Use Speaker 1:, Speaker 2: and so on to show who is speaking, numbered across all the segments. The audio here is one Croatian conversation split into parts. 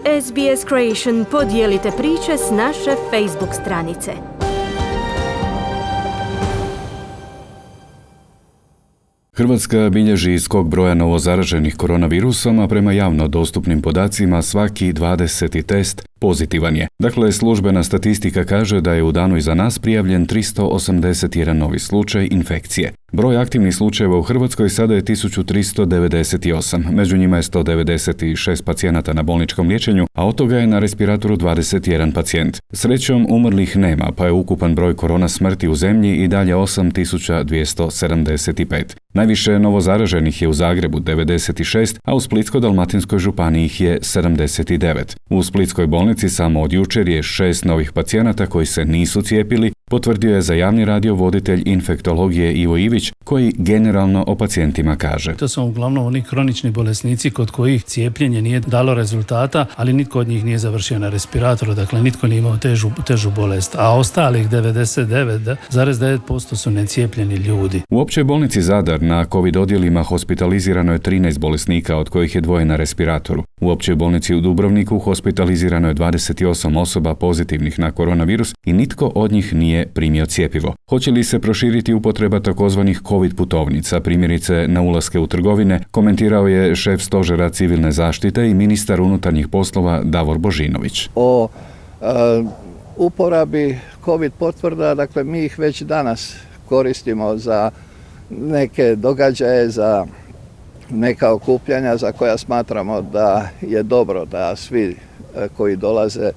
Speaker 1: SBS Creation podijelite priče s naše Facebook stranice.
Speaker 2: Hrvatska bilježi skok broja novozaraženih koronavirusom, a prema javno dostupnim podacima svaki 20. test pozitivan je. Dakle, službena statistika kaže da je u danu iza nas prijavljen 381 novi slučaj infekcije. Broj aktivnih slučajeva u Hrvatskoj sada je 1398, među njima je 196 pacijenata na bolničkom liječenju, a od toga je na respiratoru 21 pacijent. Srećom, umrlih nema, pa je ukupan broj korona smrti u zemlji i dalje 8275. Najviše novozaraženih je u Zagrebu 96, a u Splitsko-dalmatinskoj županiji ih je 79. U Splitskoj bolnici samo od jučer je 6 novih pacijenata koji se nisu cijepili, potvrdio je za javni radio voditelj infektologije Ivo Ivić, koji generalno o pacijentima kaže.
Speaker 3: To su uglavnom oni kronični bolesnici kod kojih cijepljenje nije dalo rezultata, ali nitko od njih nije završio na respiratoru, dakle nitko nije imao težu bolest, a ostalih 99,9% su necijepljeni ljudi.
Speaker 2: U općoj bolnici Zadar na COVID odjelima hospitalizirano je 13 bolesnika, od kojih je 2 na respiratoru. U općoj bolnici u Dubrovniku hospitalizirano je 28 osoba pozitivnih na koronavirus i nitko od njih nije primio cjepivo. Hoće li se proširiti upotreba takozvanih COVID putovnica, primjerice na ulaske u trgovine, komentirao je šef stožera civilne zaštite i ministar unutarnjih poslova Davor Božinović.
Speaker 4: O uporabi COVID potvrda, dakle mi ih već danas koristimo za neke događaje, za neka okupljanja za koja smatramo da je dobro da svi koji dolaze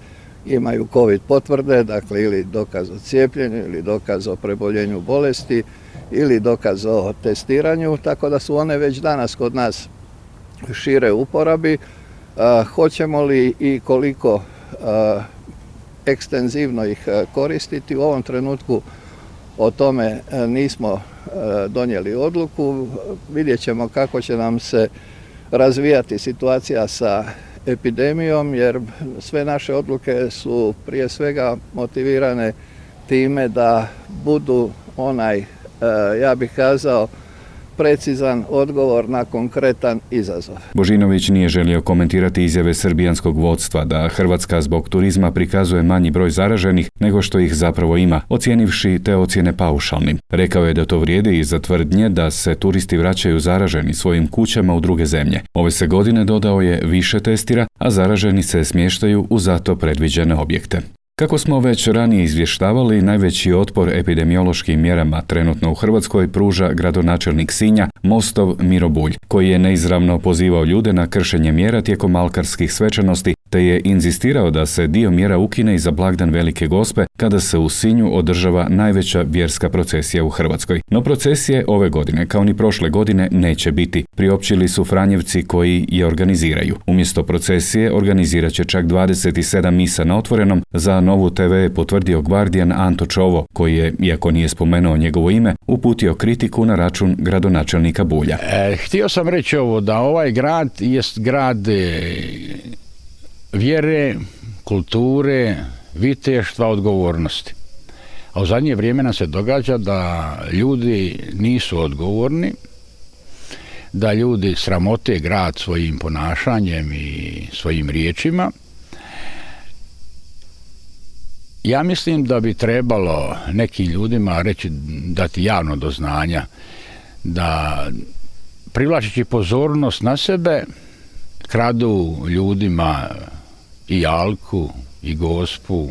Speaker 4: imaju COVID potvrde, dakle ili dokaz o cijepljenju, ili dokaz o preboljenju bolesti, ili dokaz o testiranju, tako da su one već danas kod nas šire uporabi. Hoćemo li i koliko ekstenzivno ih koristiti, u ovom trenutku o tome nismo donijeli odluku. Vidjet ćemo kako će nam se razvijati situacija sa epidemijom, jer sve naše odluke su prije svega motivirane time da budu onaj, ja bih kazao, precizan odgovor na konkretan izazov.
Speaker 2: Božinović nije želio komentirati izjave srbijanskog vodstva da Hrvatska zbog turizma prikazuje manji broj zaraženih nego što ih zapravo ima, ocijenivši te ocjene paušalnim. Rekao je da to vrijedi i za tvrdnje da se turisti vraćaju zaraženi svojim kućama u druge zemlje. Ove se godine, dodao je, više testira, a zaraženi se smještaju u zato predviđene objekte. Kako smo već ranije izvještavali, najveći otpor epidemiološkim mjerama trenutno u Hrvatskoj pruža gradonačelnik Sinja, Mostov Miro Bulj, koji je neizravno pozivao ljude na kršenje mjera tijekom alkarskih svečanosti, te je inzistirao da se dio mjera ukine i za blagdan Velike Gospe, kada se u Sinju održava najveća vjerska procesija u Hrvatskoj. No procesije ove godine, kao ni prošle godine, neće biti, priopćili su Franjevci koji je organiziraju. Umjesto procesije organizirat će čak 27 misa na otvorenom. Za Novu TV je potvrdio Guardian Anto Čovo, koji je, iako nije spomenuo njegovo ime, uputio kritiku na račun gradonačelnika Bulja.
Speaker 5: Htio sam reći ovo, da ovaj grad jest grad vjere, kulture, viteštva, odgovornosti. A u zadnje vrijeme nam se događa da ljudi nisu odgovorni, da ljudi sramote grad svojim ponašanjem i svojim riječima. Ja mislim da bi trebalo nekim ljudima dati javno do znanja da, privlačeći pozornost na sebe, kradu ljudima i alku, i Gospu,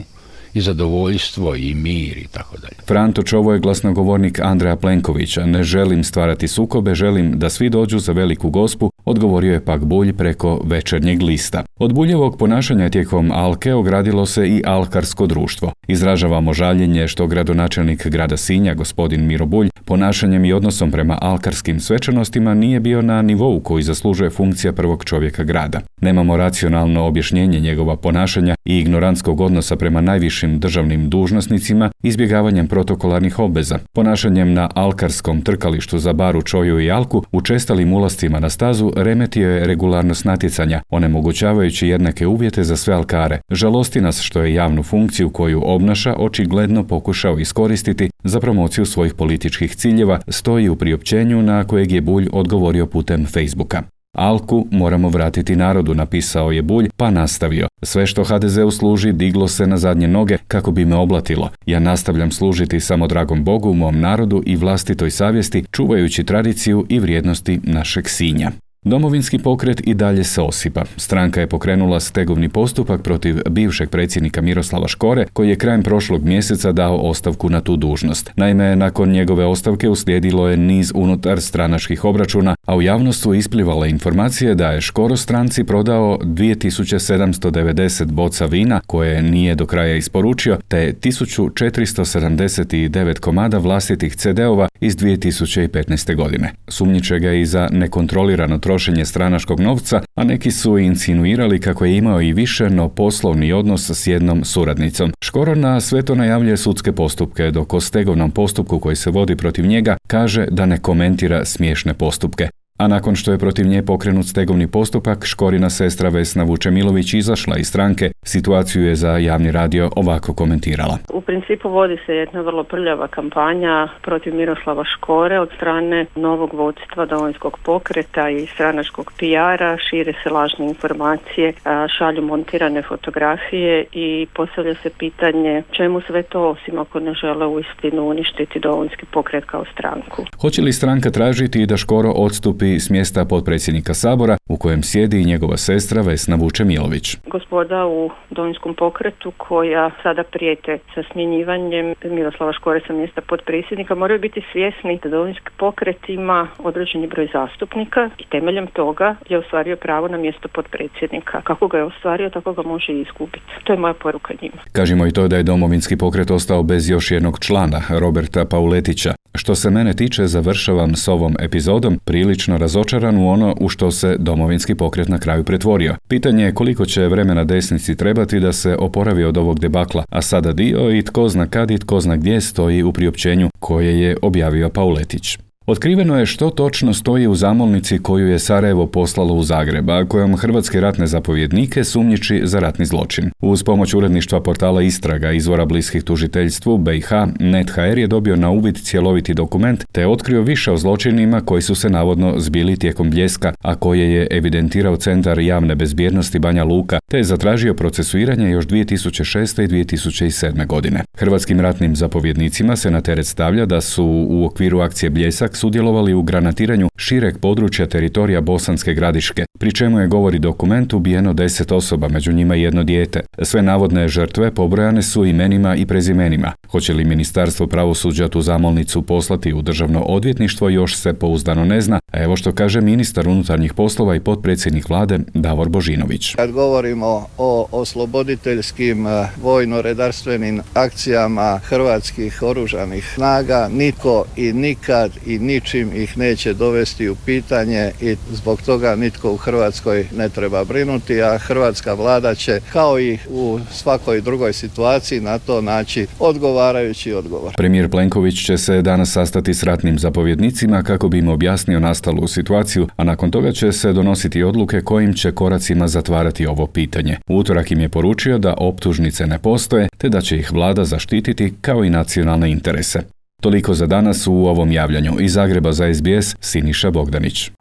Speaker 5: i zadovoljstvo, i mir, i tako dalje.
Speaker 2: Franto Čovo je glasnogovornik Andreja Plenkovića. Ne želim stvarati sukobe, želim da svi dođu za Veliku Gospu, odgovorio je pak Bulj preko Večernjeg lista. Od Buljevog ponašanja tijekom alke ogradilo se i alkarsko društvo. Izražavamo žaljenje što gradonačelnik grada Sinja, gospodin Miro Bulj, ponašanjem i odnosom prema alkarskim svečanostima nije bio na nivou koji zaslužuje funkcija prvog čovjeka grada. Nemamo racionalno objašnjenje njegova ponašanja i ignorantskog odnosa prema najvišim državnim dužnosnicima, izbjegavanjem protokolarnih obveza, ponašanjem na alkarskom trkalištu za Baru, Čoju i Alku, učestalim ulascima na stazu remetio je regularnost natjecanja, onemogućavajući jednake uvjete za sve alkare. Žalosti nas što je javnu funkciju koju obnaša očigledno pokušao iskoristiti za promociju svojih političkih ciljeva, stoji u priopćenju na kojeg je Bulj odgovorio putem Facebooka. Alku moramo vratiti narodu, napisao je Bulj, pa nastavio. Sve što HDZ-u služi diglo se na zadnje noge kako bi me oblatilo. Ja nastavljam služiti samo dragom Bogu, mom narodu i vlastitoj savjesti, čuvajući tradiciju i vrijednosti našeg Sinja. Domovinski pokret i dalje se osipa. Stranka je pokrenula stegovni postupak protiv bivšeg predsjednika Miroslava Škore, koji je krajem prošlog mjeseca dao ostavku na tu dužnost. Naime, nakon njegove ostavke uslijedilo je niz unutar stranačkih obračuna, a u javnost su isplivale informacije da je Škoro stranci prodao 2790 boca vina koje nije do kraja isporučio, te 1479 komada vlastitih CD-ova iz 2015. godine. Sumnjiče ga i za nekontrolirano trošenje stranačkog novca, a neki su insinuirali kako je imao i više, no poslovni odnos s jednom suradnicom. Škoro na sve to najavljuje sudske postupke, dok o stegovnom postupku koji se vodi protiv njega kaže da ne komentira smiješne postupke. A nakon što je protiv nje pokrenut stegovni postupak, Škorina sestra Vesna Vučemilović izašla iz stranke, situaciju je za javni radio ovako komentirala.
Speaker 6: U principu vodi se jedna vrlo prljava kampanja protiv Miroslava Škore od strane novog vodstva Domovinskog pokreta i stranačkog PR-a, šire se lažne informacije, šalju montirane fotografije i postavlja se pitanje čemu sve to, osim ako ne žele uistinu uništiti Domovinski pokret kao stranku.
Speaker 2: Hoće li stranka tražiti da Škoro odstupi s mjesta potpredsjednika Sabora u kojem sjedi i njegova sestra Vesna Vučemilović?
Speaker 6: Gospoda u Domovinskom pokretu koja sada prijete sa smjenjivanjem Miroslava Škore sa mjesta potpredsjednika moraju biti svjesni da Domovinski pokret ima određeni broj zastupnika i temeljem toga je ostvario pravo na mjesto potpredsjednika. Kako ga je ostvario, tako ga može i izgubiti. To je moja poruka njima.
Speaker 2: Kažemo i to da je Domovinski pokret ostao bez još jednog člana, Roberta Pauletića. Što se mene tiče, završavam s ovom epizodom prilično razočaran u ono u što se Domovinski pokret na kraju pretvorio. Pitanje je koliko će vremena desnici trebati da se oporavi od ovog debakla, a sada dio i tko zna kad i tko zna gdje stoji u priopćenju koje je objavio Pauletić. Otkriveno je što točno stoji u zamolnici koju je Sarajevo poslalo u Zagreb, a kojom hrvatske ratne zapovjednike sumnjiči za ratni zločin. Uz pomoć uredništva portala Istraga, izvora bliskih tužiteljstvu, BiH, NET.hr je dobio na uvid cjeloviti dokument te je otkrio više o zločinima koji su se navodno zbili tijekom Bljeska, a koje je evidentirao Centar javne bezbjednosti Banja Luka, te je zatražio procesuiranje još 2006. i 2007. godine. Hrvatskim ratnim zapovjednicima se na teret stavlja da su u okviru akcije Bljesak sudjelovali u granatiranju šireg područja teritorija Bosanske Gradiške, pri čemu je, govori dokument, ubijeno 10 osoba, među njima i jedno dijete. Sve navodne žrtve pobrojane su imenima i prezimenima. Hoće li Ministarstvo pravosuđa tu zamolnicu poslati u Državno odvjetništvo još se pouzdano ne zna, a evo što kaže ministar unutarnjih poslova i potpredsjednik vlade Davor Božinović.
Speaker 4: Kad govorimo o osloboditeljskim vojno-redarstvenim akcijama hrvatskih oružanih snaga, nitko i nikad i ničim ih neće dovesti u pitanje i zbog toga nitko u Hrvatskoj ne treba brinuti, a hrvatska vlada će kao i u svakoj drugoj situaciji na to naći odgovarajući odgovor.
Speaker 2: Premijer Plenković će se danas sastati s ratnim zapovjednicima kako bi im objasnio nastalu situaciju, a nakon toga će se donositi odluke kojim će koracima zatvarati ovo pitanje. U utorak im je poručio da optužnice ne postoje, te da će ih vlada zaštititi kao i nacionalne interese. Toliko za danas u ovom javljanju. Iz Zagreba za SBS, Siniša Bogdanić.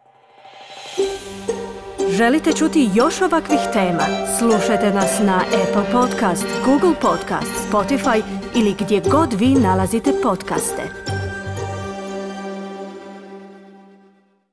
Speaker 1: Želite čuti još ovakvih tema? Slušajte nas na Apple Podcast, Google Podcast, Spotify ili gdje god vi nalazite podcaste.